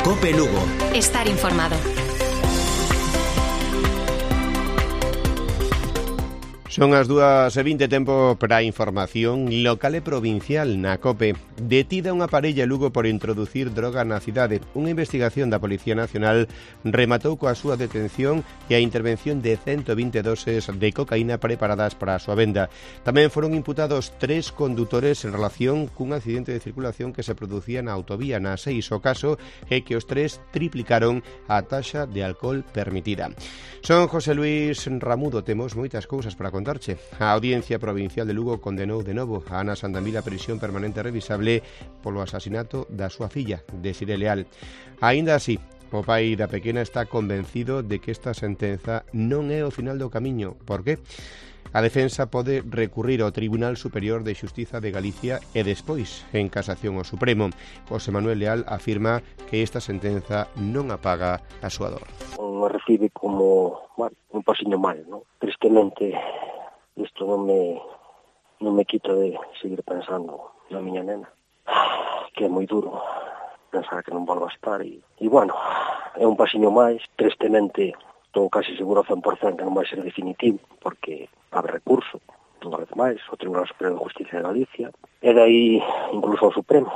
COPE Lugo. Estar informado. Son as 2:20, tempo para a información local e provincial na COPE. Detida unha parella Lugo por introducir droga na cidade. Unha investigación da Policía Nacional rematou coa súa detención e a intervención de 120 doses de cocaína preparadas para a súa venda. Tamén foron imputados 3 condutores en relación cun accidente de circulación que se producía na autovía na 6. O caso é que os 3 triplicaron a taxa de alcohol permitida. Son José Luis Ramudo, temos moitas cousas para contarche. A Audiencia Provincial de Lugo condenou de novo a Ana Sandamil a prisión permanente revisable polo asasinato da súa filla, Desiré Leal. Aínda así, o pai da pequena está convencido de que esta sentenza non é o final do camiño. Por qué? A defensa pode recurrir ao Tribunal Superior de Xustiza de Galicia e despois, en casación ao Supremo. José Manuel Leal afirma que esta sentenza non apaga a súa dor. Me recibe como un pasiño mal, ¿no? Tristemente, isto non me quito de seguir pensando na miña nena, que é moi duro pensar que non volva a estar e bueno, é un pasiño máis. Tristemente, estou casi seguro ao 100% que non vai ser definitivo, porque abre recurso, unha vez máis, ao Tribunal Superior de Justicia de Galicia, e dai incluso ao Supremo.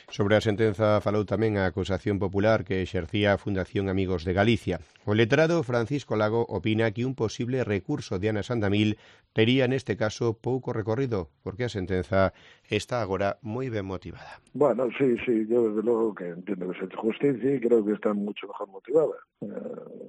Sobre a sentenza falou tamén a acusación popular que exercía a Fundación Amigos de Galicia. O letrado Francisco Lago opina que un posible recurso de Ana Sandamil tería neste caso pouco recorrido, porque a sentenza está agora moi ben motivada. Bueno, sí, yo desde logo que entiendo que se hace justicia y creo que está mucho mejor motivada.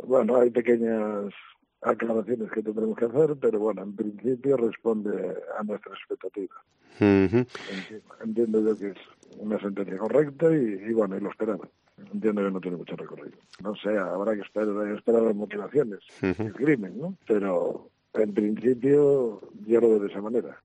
Bueno, hay pequeñas aclaraciones que tendremos que hacer, pero bueno, en principio responde a nuestra expectativa. Entiendo yo que es una sentencia correcta y bueno, y lo esperaba. Entiendo que no tiene mucho recorrido. No sé, habrá que esperar las motivaciones del crimen, ¿no? Pero en principio yo lo veo de esa manera.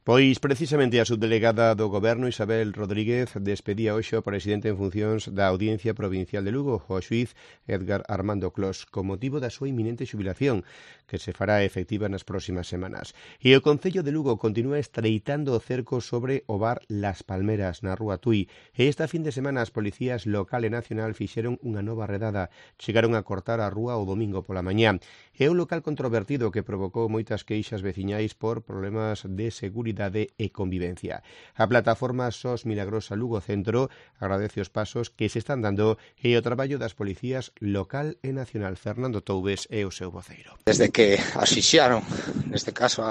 Pois precisamente a subdelegada do Goberno Isabel Rodríguez despedía hoxe o presidente en funcións da Audiencia Provincial de Lugo, o xuíz Edgar Armando Clos, con motivo da súa inminente xubilación, que se fará efectiva nas próximas semanas. E o Concello de Lugo continúa estreitando o cerco sobre o bar Las Palmeras, na Rúa Tui. E esta fin de semana as policías local e nacional fixeron unha nova redada. Chegaron a cortar a rúa o domingo pola mañá. É un local controvertido que provocou moitas queixas veciñais por problemas de seguridade e convivencia. A plataforma SOS Milagrosa Lugo Centro agradece os pasos que se están dando e o traballo das policías local e nacional. Fernando Toubes é o seu voceiro. Desde que asfixiaron, neste caso,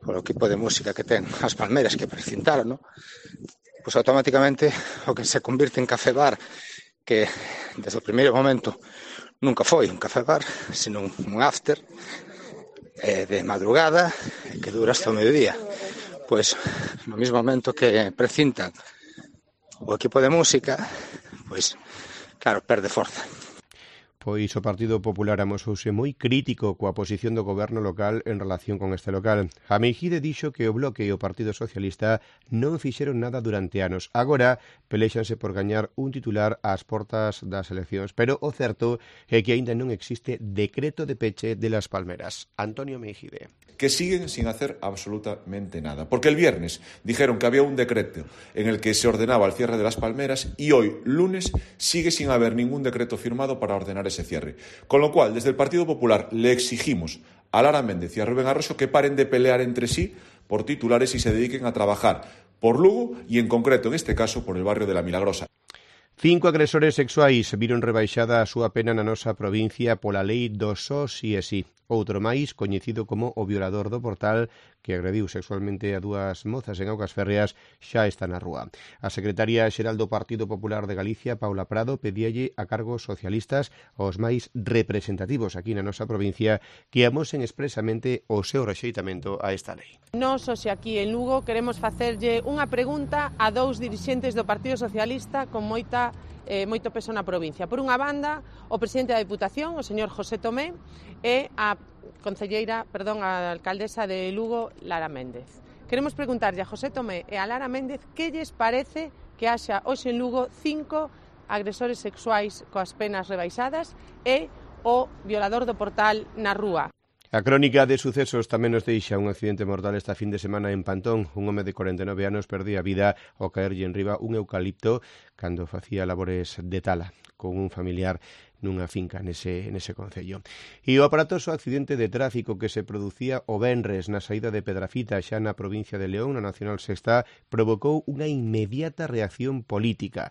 polo equipo de música que ten as Palmeras que precintaron, ¿no? Pois automáticamente o que se convirte en café bar, que desde o primeiro momento nunca foi un café bar, sino un after de madrugada que dura hasta o mediodía. Pois no mesmo momento que precintan o equipo de música, pois claro, perde forza. Pois o Partido Popular amosouse moi crítico coa posición do goberno local en relación con este local. A Meijide dixo que o Bloque e o Partido Socialista non fixeron nada durante anos. Agora pelexanse por gañar un titular ás portas das eleccións, pero o certo é que aínda non existe decreto de peche de Las Palmeras. Antonio Meijide. Que siguen sin hacer absolutamente nada. Porque el viernes dijeron que había un decreto en el que se ordenaba el cierre de Las Palmeras y hoy, lunes, sigue sin haber ningún decreto firmado para ordenar ese cierre. Con lo cual, desde el Partido Popular le exigimos a Lara Méndez y a Rubén Arroxo que paren de pelear entre sí por titulares y se dediquen a trabajar por Lugo y, en concreto, en este caso, por el barrio de La Milagrosa. 5 agresores sexuais viron rebaixada a súa pena na nosa provincia pola lei do só si e si. Outro máis, coñecido como o violador do Portal, que agrediu sexualmente a 2 mozas en Augas Férreas, xa está na rúa. A secretaria xeral do Partido Popular de Galicia, Paula Prado, pedíalle a cargos socialistas os máis representativos aquí na nosa provincia que amosen expresamente o seu rexeitamento a esta lei. Nós, hoxe aquí en Lugo, queremos facerlle unha pregunta a 2 dirixentes do Partido Socialista con moito peso na provincia. Por unha banda, o presidente da Deputación, o señor José Tomé, e a alcaldesa de Lugo, Lara Méndez. Queremos preguntarlle a José Tomé e a Lara Méndez que lles parece que haxa hoxe en Lugo 5 agresores sexuais coas penas rebaixadas e o violador do Portal na rúa. A crónica de sucesos tamén nos deixa un accidente mortal esta fin de semana en Pantón. Un home de 49 anos perdía a vida ao caerlle enriba un eucalipto cando facía labores de tala con un familiar nunha finca nese concello. E o aparatoso accidente de tráfico que se producía o venres na saída de Pedrafita xa na provincia de León, na Nacional Sexta, provocou unha inmediata reacción política.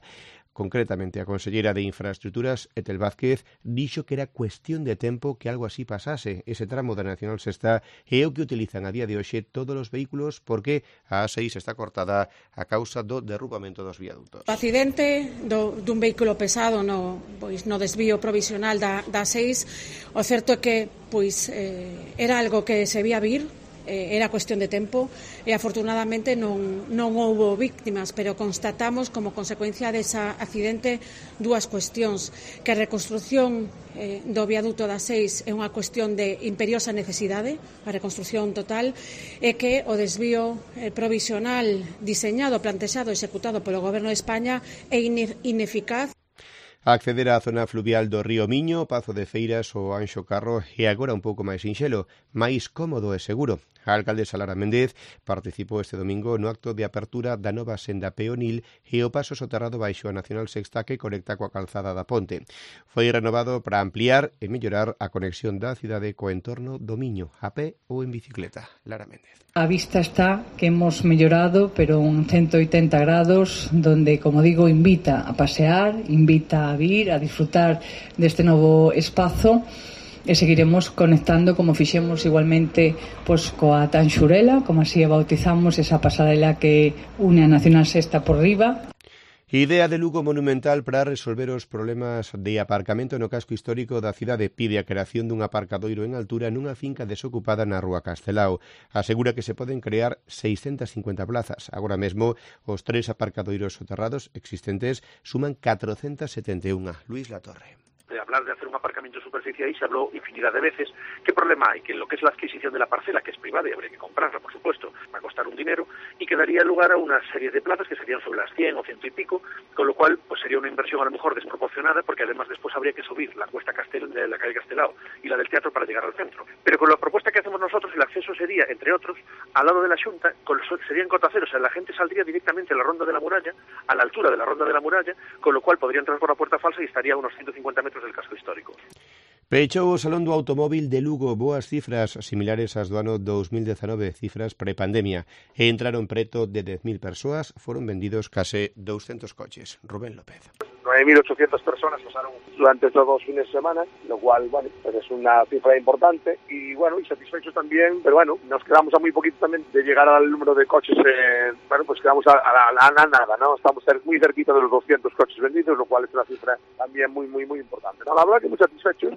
Concretamente, a conselleira de Infraestructuras, Etel Vázquez, dixo que era cuestión de tempo que algo así pasase. Ese tramo da Nacional Sexta é o que utilizan a día de hoxe todos os vehículos porque a A6 está cortada a causa do derrubamento dos viadutos. O accidente dun vehículo pesado no desvío provisional da A6, o certo é que era algo que se vía vir, era cuestión de tempo e afortunadamente non houbo víctimas, pero constatamos como consecuencia dese accidente dúas cuestións, que a reconstrucción do viaduto da 6 é unha cuestión de imperiosa necesidade, a reconstrucción total, e que o desvío provisional diseñado, plantexado e executado polo Goberno de España é ineficaz. Acceder á zona fluvial do río Miño, Pazo de Feiras ou Anxo Carro é agora un pouco máis sinxelo, máis cómodo e seguro. A alcaldesa Lara Méndez participou este domingo no acto de apertura da nova senda peonil e o paso soterrado baixo a Nacional Sexta que conecta coa calzada da Ponte. Foi renovado para ampliar e mellorar a conexión da cidade co entorno do Miño, a pé ou en bicicleta. Lara Méndez. A vista está que hemos mellorado, pero un 180 grados, donde, como digo, invita a pasear, invita a vir, a disfrutar deste novo espazo. E seguiremos conectando como fixemos igualmente coa Tanxurela, como así a bautizamos esa pasarela que une a Nacional Sexta por riba. Idea de Lugo monumental para resolver os problemas de aparcamento no casco histórico da cidade. Pide a creación dun aparcadoiro en altura nunha finca desocupada na Rúa Castelao. Asegura que se poden crear 650 plazas. Agora mesmo, os 3 aparcadoiros soterrados existentes suman 471. Luis Latorre. De hablar de hacer un aparcamiento de superficie ahí se habló infinidad de veces. ¿Qué problema hay? Que lo que es la adquisición de la parcela, que es privada y habría que comprarla, por supuesto, va a costar un dinero y que daría lugar a una serie de plazas que serían sobre las 100 o 100 y pico, con lo cual pues sería una inversión a lo mejor desproporcionada porque además después habría que subir la cuesta de la calle Castelao y la del teatro para llegar al centro. Pero con la propuesta que hacemos nosotros el acceso sería, entre otros, al lado de la Xunta, serían cotaceros, o sea, la gente saldría directamente a la Ronda de la Muralla, a la altura de la Ronda de la Muralla, con lo cual podría entrar por la puerta falsa y estaría a unos 150 metros del casco histórico. Pechou o Salón do Automóvil de Lugo, boas cifras similares ás do ano 2019, cifras prepandemia. Entraron preto de 10.000 persoas, foron vendidos case 200 coches. Rubén López. 9.800 personas pasaron durante estos 2 fines de semana, lo cual, bueno, pues es una cifra importante y, bueno, y satisfechos también, pero bueno, nos quedamos a muy poquito también de llegar al número de coches, bueno, pues quedamos a nada, ¿no? Estamos muy cerquita de los 200 coches vendidos, lo cual es una cifra también muy importante, ¿no? La verdad que muy satisfechos,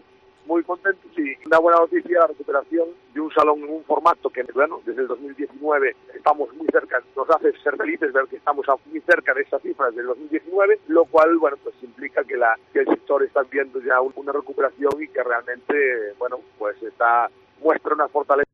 muy contentos y una buena noticia la recuperación de un salón en un formato que, bueno, desde el 2019 estamos muy cerca, nos hace ser felices ver que estamos muy cerca de esas cifras del 2019, lo cual, bueno, pues implica que el sector está viendo ya una recuperación y que realmente, bueno, pues muestra una fortaleza.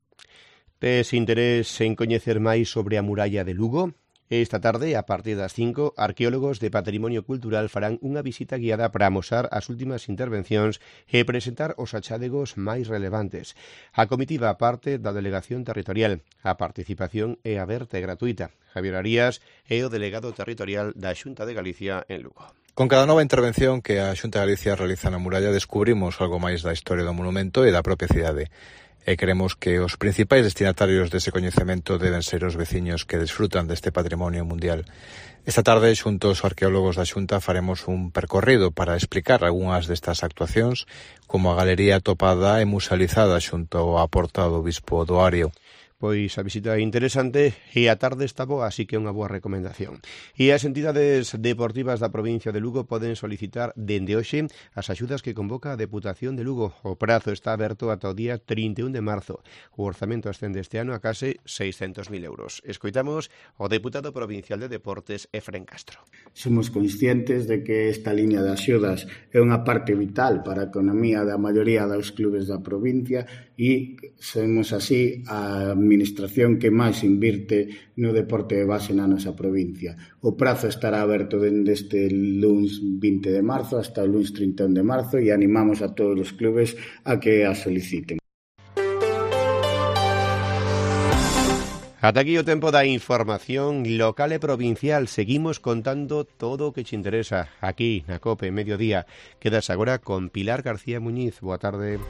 Tes interés en coñecer máis sobre a muralla de Lugo? Esta tarde, a partir das 5, arqueólogos de Patrimonio Cultural farán unha visita guiada para amosar as últimas intervencións e presentar os achádegos máis relevantes. A comitiva parte da Delegación Territorial. A participación é aberta e gratuita. Javier Arías é o delegado territorial da Xunta de Galicia en Lugo. Con cada nova intervención que a Xunta de Galicia realiza na muralla descubrimos algo máis da historia do monumento e da propia cidade. E queremos que os principais destinatarios dese coñecemento deben ser os veciños que desfrutan deste patrimonio mundial. Esta tarde, xunto aos arqueólogos da Xunta, faremos un percorrido para explicar algunhas destas actuacións, como a galería topada e musealizada xunto á porta do Bispo do Ario. Pois a visita é interesante e a tarde está boa, así que é unha boa recomendación. E as entidades deportivas da provincia de Lugo poden solicitar dende hoxe as axudas que convoca a Deputación de Lugo. O prazo está aberto ata o día 31 de marzo. O orzamento ascende este ano a case 600.000 euros. Escoitamos o deputado provincial de Deportes, Efrén Castro. Somos conscientes de que esta liña de axudas é unha parte vital para a economía da maioría dos clubes da provincia e somos así a administración que máis invirte no deporte de base na nosa provincia. O prazo estará aberto dende este luns 20 de marzo hasta o luns 31 de marzo e animamos a todos os clubes a que a soliciten. Ata aquí o tempo da información local e provincial. Seguimos contando todo o que te interesa aquí na COPE Mediodía. Quedas agora con Pilar García Muñiz. Boa tarde.